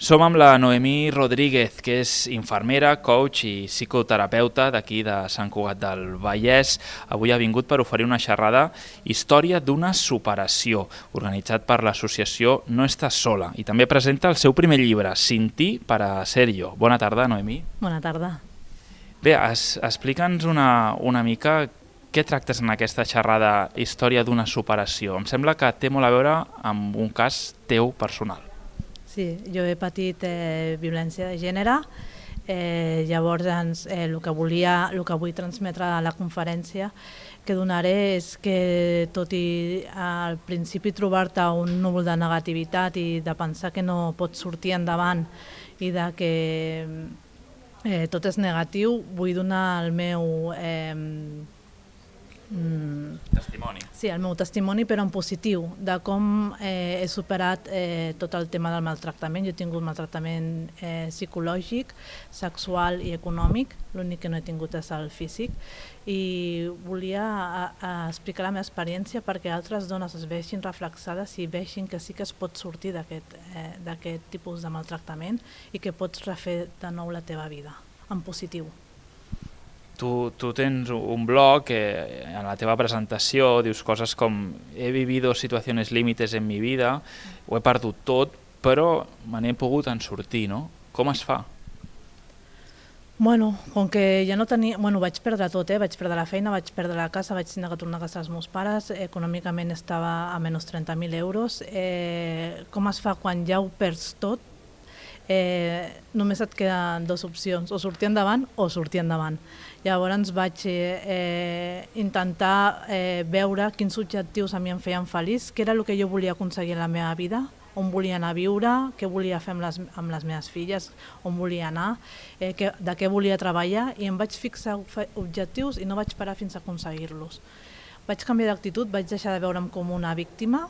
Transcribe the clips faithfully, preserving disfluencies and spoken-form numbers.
Som amb la Noemí Rodríguez, que és infermera, coach i psicoterapeuta d'aquí de Sant Cugat del Vallès. Avui ha vingut per oferir una xerrada Història d'una superació, organitzat per l'associació No Estàs Sola, i també presenta el seu primer llibre, Sin ti para ser yo. Bona tarda, Noemí. Bona tarda. Bé, es, explica'ns una, una mica què tractes en aquesta xerrada Història d'una superació. Em sembla que té molt a veure amb un cas teu personal. Sí, jo he patit eh, violència de gènere, eh, llavors doncs, eh, el, que volia, el que vull transmetre a la conferència que donaré és que tot i al principi trobar-te un núvol de negativitat i de pensar que no pots sortir endavant i de que eh, tot és negatiu, vull donar el meu... Eh, Testimoni. Sí, el meu testimoni, però en positiu, de com eh, he superat eh, tot el tema del maltractament. Jo he tingut maltractament eh, psicològic, sexual i econòmic, l'únic que no he tingut és el físic, i volia a, a explicar la meva experiència perquè altres dones es vegin reflexades i vegin que sí que es pot sortir d'aquest eh, d'aquest tipus de maltractament i que pots refer de nou la teva vida, en positiu. Tu, tu tens un blog que en la teva presentació dius coses com he vivido situaciones límites en mi vida, ho he perdut tot, però me n'he pogut en sortir, no? Com es fa? Bueno, com que ja no tenia... Bueno, vaig perdre tot, eh? Vaig perdre la feina, vaig perdre la casa, vaig tenir que tornar a casa als meus pares, econòmicament estava a menys trenta mil euros. Eh, com es fa quan ja ho perds tot? Eh, només et queden dues opcions, o sortir endavant o sortir endavant. Llavors vaig eh, intentar eh, veure quins objectius a mi em feien feliç, què era el que jo volia aconseguir en la meva vida, on volia anar a viure, què volia fer amb les, amb les meves filles, on volia anar, eh, que, de què volia treballar, i em vaig fixar objectius i no vaig parar fins a aconseguir-los. Vaig canviar d'actitud, vaig deixar de veure'm com una víctima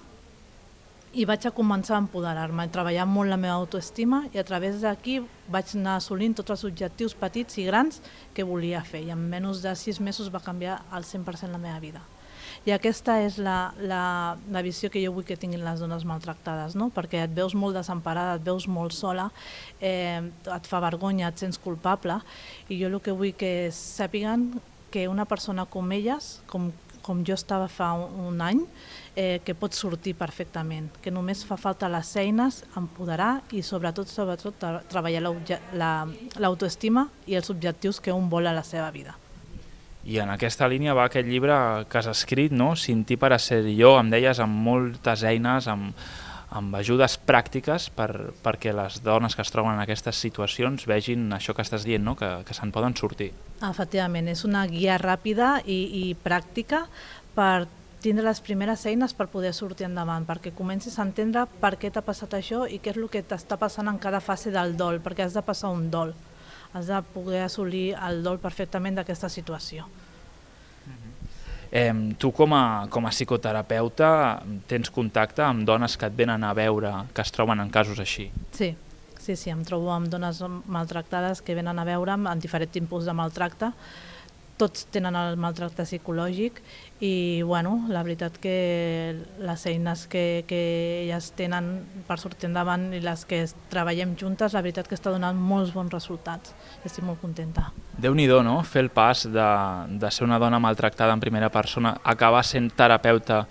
i vaig a començar a empoderar-me, a treballar molt la meva autoestima, i a través d'aquí vaig anar assolint tots els objectius petits i grans que volia fer, i en menys de sis mesos va canviar al cent per cent la meva vida. I aquesta és la, la, la visió que jo vull que tinguin les dones maltractades, no? Perquè et veus molt desemparada, et veus molt sola, eh, et fa vergonya, et sents culpable, i jo el que vull que sàpiguen que una persona com elles, com, com jo estava fa un, un any, eh, que pot sortir perfectament, que només fa falta les eines, empoderar i sobretot, sobretot tra treballar l'autoestima la, i els objectius que un vol a la seva vida. I en aquesta línia va aquest llibre que has escrit, no? Sin ti para ser yo, em deies, amb moltes eines, amb, amb ajudes pràctiques per, perquè les dones que es troben en aquestes situacions vegin això que estàs dient, no? que, que se'n poden sortir. Efectivament, és una guia ràpida i, i pràctica per tindre les primeres eines per poder sortir endavant, perquè comencis a entendre per què t'ha passat això i què és el que t'està passant en cada fase del dol, perquè has de passar un dol, has de poder assolir el dol perfectament d'aquesta situació. Eh, tu com a, com a psicoterapeuta tens contacte amb dones que et venen a veure, que es troben en casos així? Sí, sí, sí, em trobo amb dones maltractades que venen a veure'm en diferents tipus de maltracte. Tots tenen el maltracte psicològic i bueno, la veritat que les eines que, que elles tenen per sortir endavant i les que treballem juntes, la veritat que està donant molts bons resultats. Estic molt contenta. Déu-n'hi-do, no? Fer el pas de, de ser una dona maltractada en primera persona, acabar sent terapeuta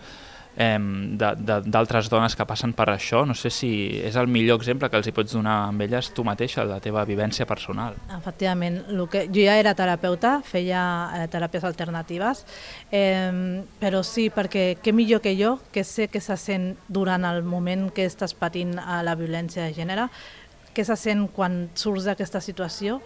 eh, d'altres dones que passen per això. No sé si és el millor exemple que els hi pots donar amb elles tu mateixa, la teva vivència personal. Efectivament, el que, jo ja era terapeuta, feia eh, teràpies alternatives, eh, però sí, perquè què millor que jo, que sé que se sent durant el moment que estàs patint la violència de gènere, què se sent quan surts d'aquesta situació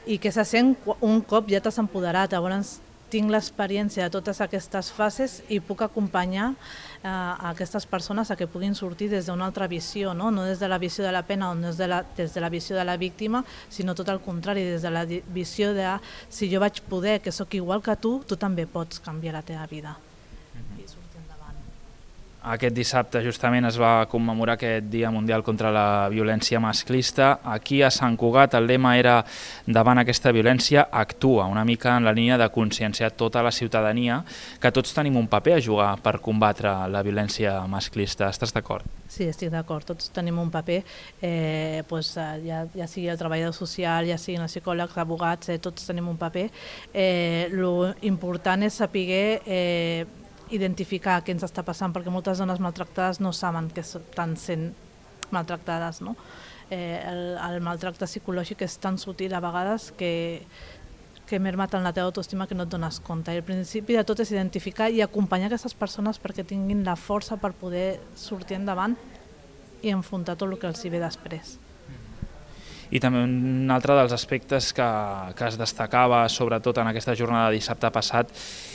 i què se sent un cop ja t'has empoderat. Llavors tinc l'experiència de totes aquestes fases i puc acompanyar eh, a aquestes persones a que puguin sortir des d'una altra visió, no? No des de la visió de la pena o no des de la, des de la visió de la víctima, sinó tot el contrari, des de la visió de si jo vaig poder, que sóc igual que tu, tu també pots canviar la teva vida. Mm-hmm. I sortir endavant. Aquest dissabte justament es va commemorar aquest Dia Mundial contra la Violència Masclista. Aquí a Sant Cugat el lema era davant aquesta violència actua, una mica en la línia de conscienciar tota la ciutadania que tots tenim un paper a jugar per combatre la violència masclista. Estàs d'acord? Sí, estic d'acord, tots tenim un paper, eh, pues, ja, ja sigui el treballador social, ja siguin els psicòlegs, abogats, eh, tots tenim un paper. Eh, lo important és saber eh, identificar què ens està passant, perquè moltes dones maltractades no saben que estan sent maltractades, no? Eh, el, el maltracte psicològic és tan sutil a vegades que, que merma tant la teva autoestima que no et dones compte. I el principi de tot és identificar i acompanyar aquestes persones perquè tinguin la força per poder sortir endavant i enfrontar tot el que els hi ve després. I també un altre dels aspectes que, que es destacava, sobretot en aquesta jornada de dissabte passat,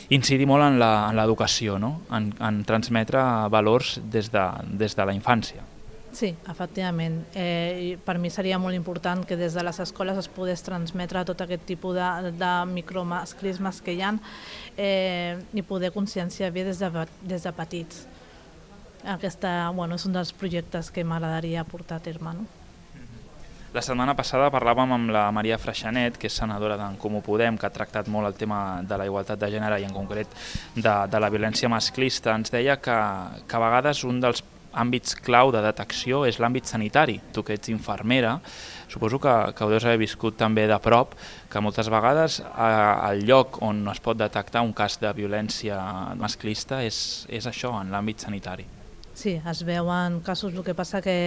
incidir molt en l'educació, no? en, en transmetre valors des de, des de la infància. Sí, efectivament. Eh, per mi seria molt important que des de les escoles es pogués transmetre tot aquest tipus de, de micromasclismes que hi ha eh, i poder conscienciar bé des de, des de petits. Aquesta, bueno, és un dels projectes que m'agradaria portar a terme, no? La setmana passada parlàvem amb la Maria Freixanet, que és senadora d'en Comú Podem, que ha tractat molt el tema de la igualtat de gènere i en concret de, de la violència masclista. Ens deia que, que a vegades un dels àmbits clau de detecció és l'àmbit sanitari. Tu que ets infermera, suposo que, que ho deus haver viscut també de prop, que moltes vegades el lloc on es pot detectar un cas de violència masclista és, és això, en l'àmbit sanitari. Sí, es veuen casos, el que passa que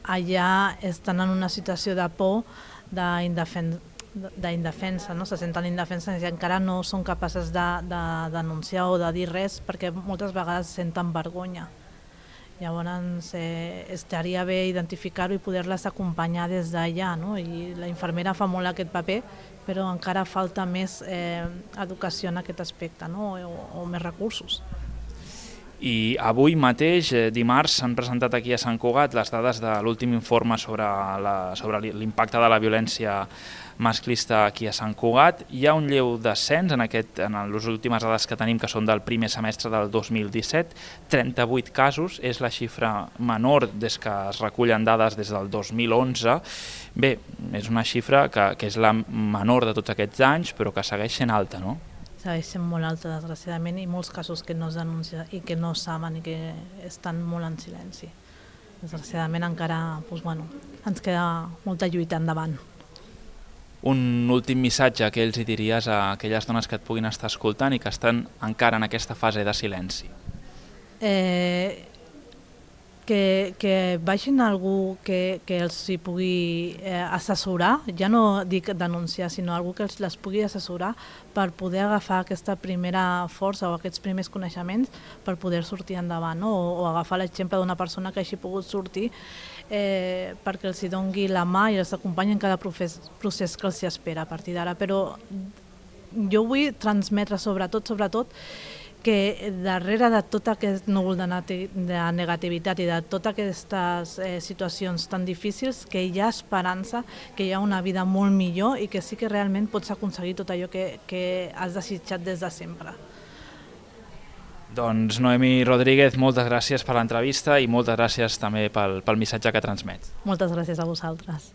allà estan en una situació de por, d'indefensa, no? Se senten indefenses i encara no són capaces de, de denunciar o de dir res perquè moltes vegades senten vergonya. Llavors eh, estaria bé identificar-ho i poder-les acompanyar des d'allà, no? I la infermera fa molt aquest paper, però encara falta més eh, educació en aquest aspecte, no? o, o més recursos. I avui mateix, dimarts, s'han presentat aquí a Sant Cugat les dades de l'últim informe sobre l'impacte de la violència masclista aquí a Sant Cugat. Hi ha un lleu descens en, aquest, en les últimes dades que tenim, que són del primer semestre del dos mil disset, trenta-vuit casos, és la xifra menor des que es recullen dades des del dos mil onze. Bé, és una xifra que, que és la menor de tots aquests anys, però que segueix sent alta, no? Segueix sent molt alta, desgraciadament, i molts casos que no es denuncien i que no saben i que estan molt en silenci. Desgraciadament encara doncs, bueno, ens queda molta lluita endavant. Un últim missatge que ells hi diries a aquelles dones que et puguin estar escoltant i que estan encara en aquesta fase de silenci? Eh, que, que vagin a algú que, que els hi pugui eh, assessorar, ja no dic denunciar, sinó algú que els les pugui assessorar per poder agafar aquesta primera força o aquests primers coneixements per poder sortir endavant, no? o, o agafar l'exemple d'una persona que hagi pogut sortir eh, perquè els hi doni la mà i els acompanyi en cada procés, procés que els hi espera a partir d'ara. Però jo vull transmetre sobretot, sobretot, que darrere de tot aquest núvol de negativitat i de totes aquestes eh, situacions tan difícils, que hi ha esperança, que hi ha una vida molt millor i que sí que realment pots aconseguir tot allò que, que has desitjat des de sempre. Doncs Noemi Rodríguez, moltes gràcies per l'entrevista i moltes gràcies també pel, pel missatge que transmets. Moltes gràcies a vosaltres.